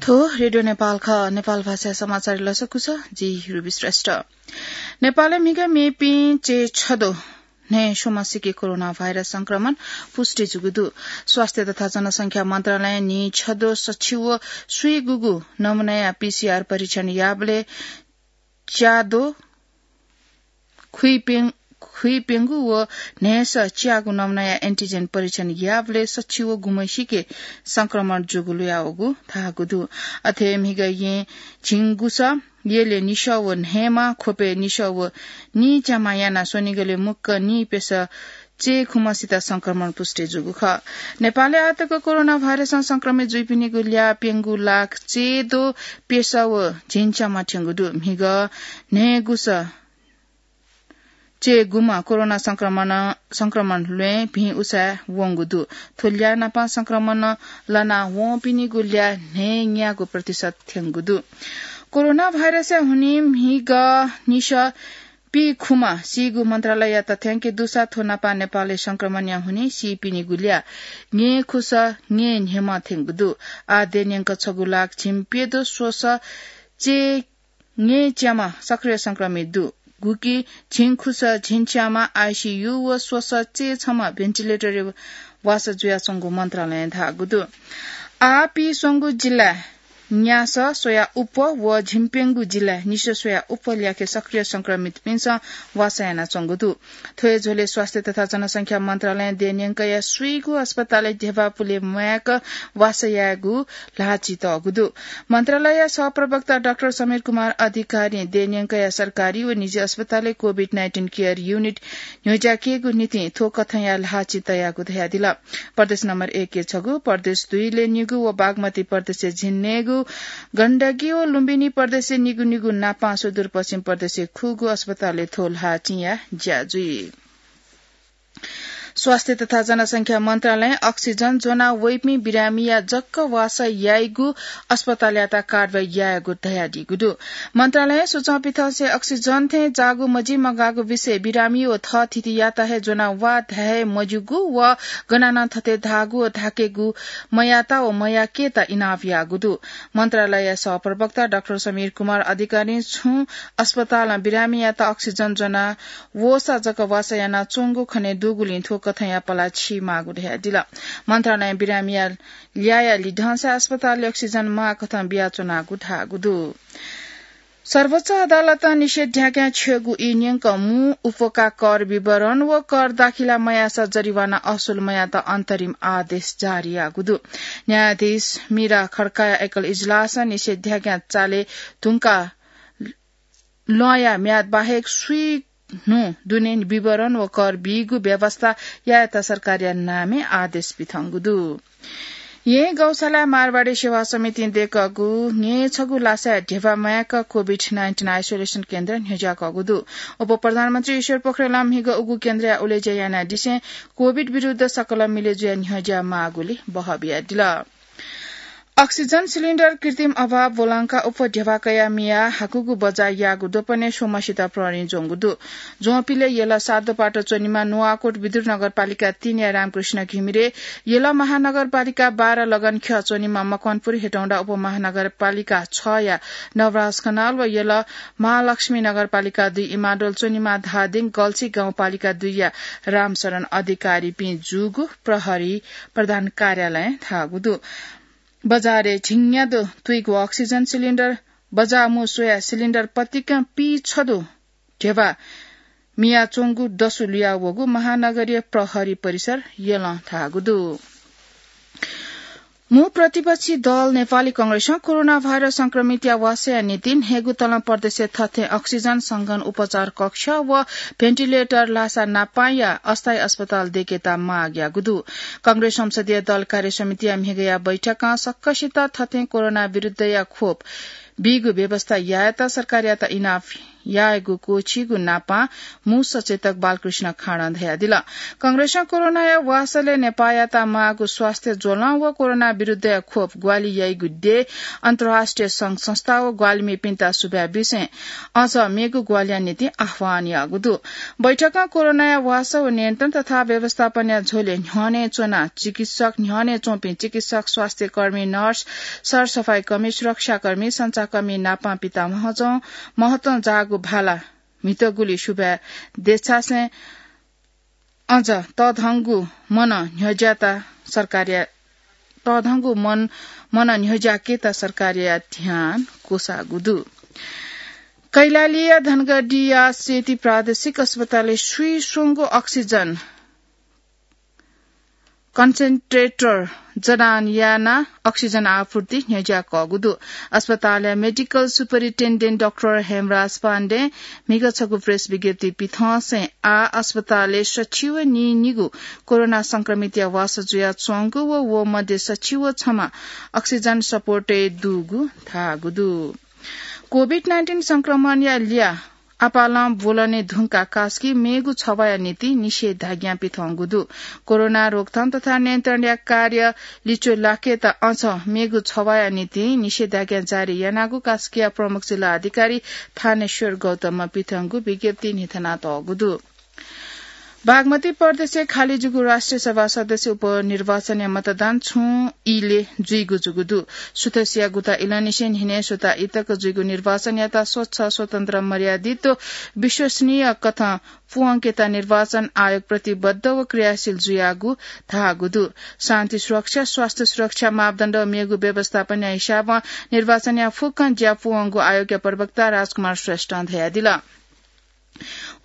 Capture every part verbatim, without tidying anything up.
थ्व रेडियो नेपाल खः। नेपाल भाषा समाचार लसकुस, जि रुबी श्रेष्ठ। नेपालय् म्हिगः मेपिं चय् छद्वः न्हय् स्वम्ह सिके कोरोना भाइरस संक्रमण पुष्टि जूगु दु। स्वास्थ्य तथा जनसंख्या मन्त्रालयं न्हि छद्वः सछि व स्वीगूगु नमुनाया पीसीआर परीक्षण याःबलय् च्याद्वः खुइप्यं-, खुइप्यंगु व न्हय्‌स च्याःगु नमुनाया एन्टिजेन परीक्षण याःबलय् सछि व गुम्ह सिके संक्रमण जूगु लुयावःगु धाःगु दु। अथे म्हिगः येँ झिंगुस, यलय् निसः व न्हय्‌मा, ख्वपय् निसः व नीच्यामा यानाः स्वनिगलय् मुक्क नीप्यसः चय्‌खुम्हसित संक्रमण पुष्टि जूगु खः। नेपालय् आःतक कोरोना भाइरसं संक्रमित जुइपिनिगु ल्याः प्यंगू लाख चय्‌द्वः प्यसः व झिंच्यामा थ्यंगु दु। म्हिगः न्हय्‌गुस चय्‌गुम्ह कोरोना संक्रमण, संक्रमण ल्वय् भिं उसाँय् वंगु दु। थ्व ल्याः नाप संक्रमण लना वंपिनिगु ल्याः न्हय्‌न्यागू प्रतिशत थ्यंगु दु। कोरोना भाइरसया हुनिं म्हिगः निसः पीखुम्ह सीगु मन्त्रालयया तथ्याङ्क दुसा थ्व नाप नेपालय् संक्रमणया हुनिं सीपिनिगु ल्याः न्यय्‌खुस न्यय्‌न्हय्‌म्ह थ्यंगु दु। आः देय्‌न्यंक छगू लाख झिंप्यद्वः स्वसः चय् न्यय्‌च्याम्ह सक्रिय संक्रमित दु। गुकी झिंखुस झिंच्यामा आईसीयू व स्वसः चय्‌छम्ह भेन्टिलेटरय् वासः जुयाच्वंगु मन्त्रालयं धाःगु दु। आः पीस्वंगू जिल्लाय् न्यासः स्वयाः उप्वः व झिंप्यंगू जिल्लाय् निसः स्वयाः उप्वः ल्याखय् सक्रिय संक्रमितपिन्सं वासः यानाच्वंगु दु। थ्व हे झ्वलय् स्वास्थ्य तथा जनसंख्या मन्त्रालयं देय्‌न्यंकया स्वीगू अस्पतालय् ध्यबा पुले म्वाय्‌क वासः यायेगु ल्हाःचितःगु दु। मन्त्रालयया सहप्रवक्ता डाक्टर समीर कुमार अधिकारीं देय्‌न्यंकया सरकारी व निजी अस्पतालय् कोभिड नाइन्टिन केयर युनिट न्ह्यज्याकेगु निंतिं थ्व कथंया ल्हाःचितःयागु धयादिल। प्रदेश नम्बर एक य् छगू, प्रदेश दुई लय् निगू व बागमती प्रदेशय् झिंन्हय्‌गू, गण्डकी व लुम्बिनी प्रदेशय् निगू निगू नापं सुदूरपश्चिम प्रदेशय् खुगू अस्पतालय् थ्व ल्हाःचिंया ज्या जुइ। स्वास्थ्य तथा जनसंख्या मन्त्रालयं अक्सिजन ज्वना वइपिं बिरामीया जक वासः याइगु अस्पतालयात कारवाही यायेगु धयादीगु दु। मन्त्रालयं सुचं पिथंसे अक्सिजन थें जाःगु मजिमगाःगु विषय बिरामी व थःथितियात हे ज्वना वा धाये मज्यूगु व गनं नं थथे धाःगु व धाकेगु मयात व मयाकेत इनाप याःगु दु। मन्त्रालयया सहप्रवक्ता डाक्टर समीर कुमार अधिकारीं छुं अस्पतालं बिरामीयात अक्सिजन ज्वना वःसा जक वासः यानाच्वंगु खनेदुगुलिं थ्व कथंया पला छि माःगु धयादिल। मन्त्रालयं बिरामीया ल्याःया लिधंसा अस्पतालय् अक्सिजन माःकथं बियाच्वनागु धाःगु दु। सर्वोच्च अदालतं निषेधाज्ञा छ्यःगु ई न्यंक मू उपका कर विवरण व कर दाखिला मयाःसा जरिवाना असुल मयात अन्तरिम आदेश जारी याःगु दु। न्यायाधीश मीरा खड्काया एकल इजलासं निषेधाज्ञा चाले धुंका लँया म्याद बाहेक स्वीन्हु दुने विवरण व कर बीगु व्यवस्था यायेत सरकारया नामय् आदेश पिथंगु दु। येँ गौशालाय् मारवाडी सेवा समितिं दय्‌कःगु न्यय्‌छगू लासाय् ध्यबा म्वाय्‌क कोभिड नाइन्टिन आइसोलेसन केन्द्र न्ह्यज्याकःगु दु। उपप्रधानमन्त्री ईश्वर पोखरेलं म्हिगः उगु केन्द्रया उलेज्या यानादिसें कोभिड विरुद्ध सकल मिले जुयाः न्ह्यज्या माःगुलि बहः बियादिल। अक्सिजन सिलिन्डर कृत्रिम अभाव ब्वलंकाः उप्वः ध्यबा कयाः मियाः हाकुगु बजार याःगु द्वपनय् स्वम्हसित प्रहरीं ज्वंगु दु। ज्वंपिलय् यल सातोपाटो च्वनीम्ह नुवाकोट विदुर नगरपालिका तीनया रामकृष्ण घिमिरे, यल महानगरपालिका बाह्र लगनख्यः च्वनीम्ह मकवानपुर हेटौंडा उपमहानगरपालिका छया नवराज खनाल व यल महालक्ष्मी नगरपालिका दुई इमाडोल च्वनीम्ह धादिङ गल्छी गाउँपालिका दुईया रामशरण अधिकारीपिं जूगु प्रहरी प्रधान कार्यालयं धाःगु दु। बजारय् झिंन्यादँ तुइगु अक्सिजन सिलिन्डर, बजार मू स्वयाः सिलिन्डर पतिकं पीछद्वः ध्यबा मियाच्वंगु दसु लुयावःगु महानगरीय प्रहरी परिसर यलं धाःगु दु। मू प्रतिपक्षी दल नेपाली कांग्रेसं कोरोना भाइरस संक्रमितया वासःया निंतिं न्हय्‌गू तलं प्रदेशय् थथें अक्सिजन संघन उपचार कक्ष व भेन्टिलेटर लासा नापांया अस्थायी अस्पताल दय्‌केत माग याःगु दु। कांग्रेस संसदीय दल कार्य समितिया म्हिगःया बैठकं सक्कसित थथें कोरोना विरुद्धया खोप बीगु व्यवस्था यायेत सरकारयात इनाप यायेगु क्वःछीगु नापां मू सचेतक बालकृष्ण खाँडं धयादिल। कंग्रेसं कोरोनाया वासलय् नेपाःयात माःगु स्वास्थ्य ज्वलं व कोरोना विरुद्धया खोप ग्वाहालि याइगु देय् अन्तर्राष्ट्रिय संघ संस्था व ग्वाहालिमिपिन्त सुभाय् बिसें अझ मेगु ग्वाहालिया निंतिं आह्वान याःगु दु। बैठकं कोरोनाया वासः व नियन्त्रण तथा व्यवस्थापनया झ्वलय् न्ह्यःने च्वना चिकित्सक, न्ह्यःने च्वंपिं चिकित्सक, स्वास्थ्यकर्मी, नर्स, सरसफाइकर्मी, सुरक्षाकर्मी, संचारकर्मी नापं पिता महत्वं, महत्वं जाःगु भाला म्हितगुली सुभाय् देछासें अझ तःधंगु मनं न्ह्यज्याःत सरकारया, तःधंगु मन, मनं न्ह्यज्याकेत सरकारया ध्यान क्वसाःगु दु। कैलालीया धनगढीया सेती प्रादेशिक अस्पतालय् स्वीस्वंगू अक्सिजन कन्सेन्ट्रेटर जडान यानाः अक्सिजन आपूर्ति न्ह्यज्याकःगु दु। अस्पतालया मेडिकल सुपरिन्टेन्डेन्ट डाक्टर हेमराज पाण्डें म्हिगः छगू प्रेस विज्ञप्ति पिथंसें आः अस्पतालय् सछि व नीनिगू कोरोना संक्रमितया वासः जुयाच्वंगु व व मध्ये सछि व छम्ह अक्सिजन सपोर्टय् दुगु धाःगु दु। कोभिड नाइन्टिन संक्रमणया ल्याः आपालं ब्वलने धुंकाः कास्की मेगु छवाःया निंतिं निषेधाज्ञा पिथंगु दु। कोरोना रोकथाम तथा नियन्त्रणया कार्य लिच्वः लाकेत अझ मेगु छवाःया निंतिं निषेधाज्ञा जारी यानागु कास्कीया प्रमुख जिल्ला अधिकारी थानेश्वर गौतमं पिथंगु विज्ञप्ति न्ह्यथनातःगु दु। बागमती प्रदेशय् खाली जूगु राष्ट्रिय सभा सदस्य उपनिर्वाचनया मतदान छुं इलय् जुइगु जूगु दु। सुथसिया गुता इलंनिसें न्हिनय् स्वता इतक जुइगु निर्वाचनयात स्वच्छ, स्वतन्त्र, मर्यादित व विश्वसनीय कथं पूवंकेत निर्वाचन आयोग प्रतिबद्ध व क्रियाशील जुयागु धाःगु दु। शान्ति सुरक्षा, स्वास्थ्य सुरक्षा मापदण्ड व मेगु व्यवस्थापनया हिसाबं निर्वाचनया फुक्कं ज्या पूवंगु आयोगया प्रवक्ता राजकुमार श्रेष्ठं धयादिल।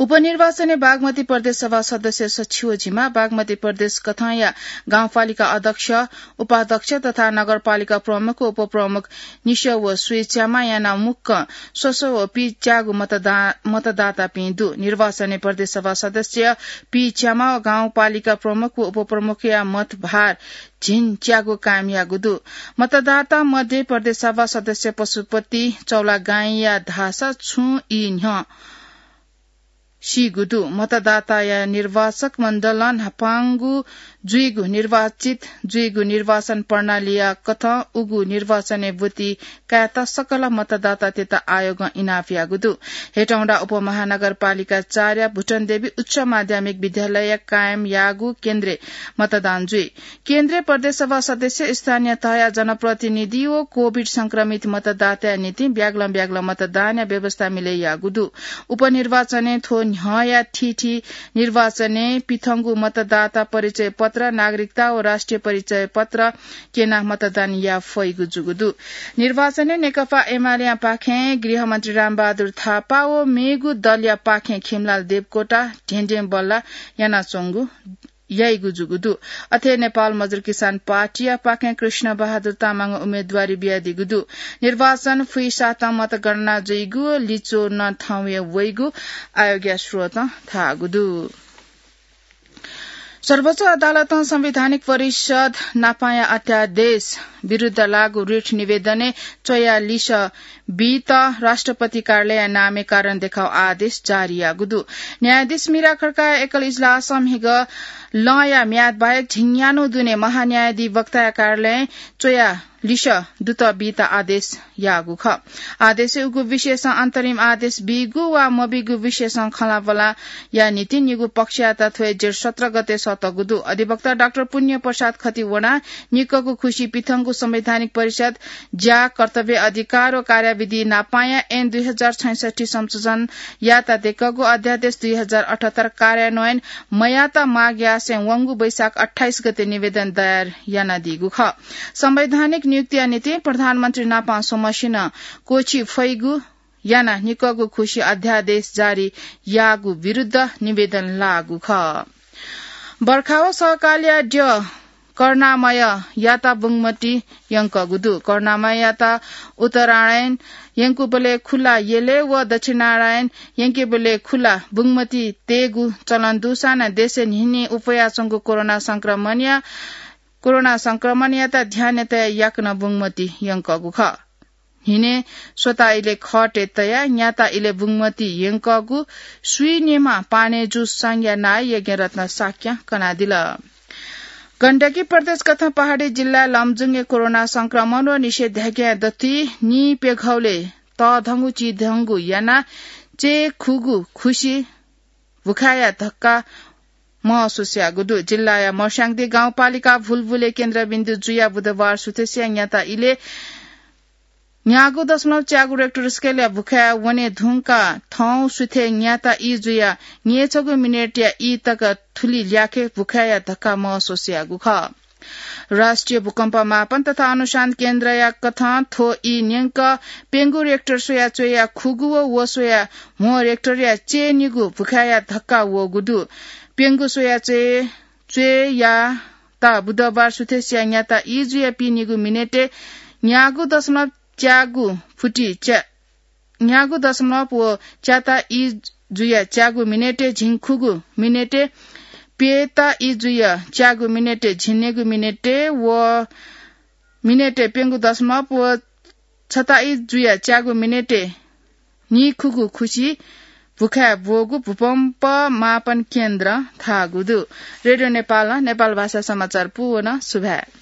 उपनिर्वाचनय् बागमती प्रदेश सभा सदस्य सछि व झिम्ह, बागमती प्रदेश कथंया गाउँपालिका अध्यक्ष, उपाध्यक्ष तथा नगरपालिका प्रमुख व उपप्रमुख निसः व स्वीच्याम्ह यानाः मुक्कं स्वसः व पीच्यागू मतदा-, मतदातापिं दु। निर्वाचनय् प्रदेश सभा सदस्य, पीच्याम्ह व गाउँपालिका प्रमुख व उपप्रमुखया मतभार झिंच्यागू कायम याःगु दु। मतदाता मध्ये प्रदेश सभा सदस्य पशुपति चौलागाईंया धाःसा छुं ई न्ह्यः सीगु दु। मतदाताया निर्वाचक मण्डलं न्हापांगु जुइगु, निर्वाचित जुइगु निर्वाचन प्रणालीया कथं उगु निर्वाचनय् ब्वति कायेत सकल मतदातातय्त आयोगं इनाप याःगु दु। हेटौंडा उपमहानगरपालिका चारया भुटनदेवी उच्च माध्यमिक विद्यालय कायम याःगु केन्द्रय् मतदान जुइ। केन्द्रय् प्रदेश सभा सदस्य, स्थानीय तहया जनप्रतिनिधि व कोभिड संक्रमित मतदाताया निंतिं ब्यागलं ब्यागलं मतदानया व्यवस्था मिले याःगु दु। उपनिर्वाचनय् थ्व न्ह्यःया थीथी निर्वाचनय् पिथंगु मतदाता परिचय पत्र, नागरिकता व राष्ट्रिय परिचय पत्र क्यनाः मतदान याये फइगु जूगु दु। निर्वाचनय् नेकपा एमालेया पाखें गृहमन्त्री रामबहादुर थापा व मेगु दलया पाखें खिमलाल देवकोटा ढेंढें बल्ला यानाच्वंगु याइगु जूगु दु। अथे नेपाल मजदुर किसान पार्टीया पाखें कृष्ण बहादुर तामाङं उम्मेदवारी बियादीगु दु। निर्वाचन फुइसातं मतगणना जुइगु व लिच्वः नं थौंया वइगु आयोगया स्रोतं धाःगु दु। सर्वोच्च अदालतं संवैधानिक परिषद नापांया अध्यादेश विरुद्ध लागू रिट निवेदनय् च्वया लिसः बीत राष्ट्रपति कार्यालयया नामय् कारण देखाउ आदेश जारी याःगु दु। न्यायाधीश मीरा खड्काया एकल इजलासं म्हिगः लँया म्याद बाहेक झिंन्यान्हु दुने महान्यायाधिवक्ताया कार्यालयं च्वया लिसः दुत बीत आदेश याःगु खः। आदेशय् उगु विषयसं अन्तरिम आदेश बीगु वा मबीगु विषयसं खँल्हाबल्हाया निंतिं निगू पक्षयात थ्व हे जेठ सत्र गते सःतःगु दु। अधिवक्ता डाक्टर पुण्य प्रसाद खतिवडां निक्कगु खुसी पिथंगु संवैधानिक परिषद ज्या, कर्तव्य, अधिकार व कार्यविधि नापांया ऐन दुई हजार छैसट्ठी संशोधन यात देकःगु अध्यादेश दुई हजार अठहत्तर कार्यान्वयन मयात माग यासें वंगु वैशाख अट्ठाइस गते निवेदन दायर यानादीगु खः। संवैधानिक नियुक्तिया निंतिं प्रधानमन्त्री नापां स्वम्हसिनं क्वःछी फइगु यानाः निक्कगु खुसी अध्यादेश जारी याःगु विरुद्ध निवेदन लाःगु खः। बर्खा व सहकालया द्यः करुणामययात बुंगमती यंकःगु दु। करुणामययात उत्तरायण यंकूबलय् खुला यलय् व दक्षिणायण यंकेबलय् खुला बुंगमती तयेगु चलन दुसां नं देशय् न्हिन्हि उफयाच्वंगु कोरोना संक्रमणया, कोरोना संक्रमणयात ध्यानय् तयाः याकनं बुंगमती यंकःगु खः। न्हिने स्वता इले खटे तया न्याता इले बुंगमती यंकगु स्वीनिमा पाने जु संज्ञा नाय यज्ञरत्न शाक्य कनादिल। गण्डकी प्रदेश कथं पहाडी जिल्ला लमजुङे कोरोना संक्रमण व निषेधाज्ञा दति नी पेघौले तधंगु चिधंगु याना चे खुगु खुसी भुखाया धक्का महसुस यागु दु। जिल्लाया मर्स्याङदी गाउँपालिका भुलभुले केन्द्रबिन्दु जुया बुधबार सुथेसिया न्याता इले न्यागू दशमलव च्यागू रेक्टर स्केलया भुखाया वने धुंका थौं सुथे न्याता ई जुया न्येछगू मिनेटया ई तक थुलि ल्याखे भुखाया धक्का महसुस यागु खः। राष्ट्रिय भूकम्प मापन तथा अनुसन्धान केन्द्रया कथं थ्व ई न्यंक प्यंगू रेक्टर स्वया च्वया खुगू व व स्वया म्हो रेक्टरया चेनिगू भुखाया धक्का वःगु दु। प्यंगू स्वया च्वया च्वया ता बुधबार सुथेसिया न्याता ई जुया पीनिगू मिनेटे न्यागू दशमलव च्यागू फुटी च्या न्यागू दशमलव व च्याता ई जुया च्यागू मिनेटे झिंखुगू मिनेटे प्यता ई जुया च्यागू मिनेटे झिंनेगू मिनेटे व मिनेटे प्यंगू दशमलव व छता ई जुया च्यागू मिनेटे नीखुगू खुसी भुखाय् ब्वःगु भूकम्प मापन केन्द्र धाःगु दु। रेडियो नेपालं नेपाल भाषा समाचार पूवन सुभाय्।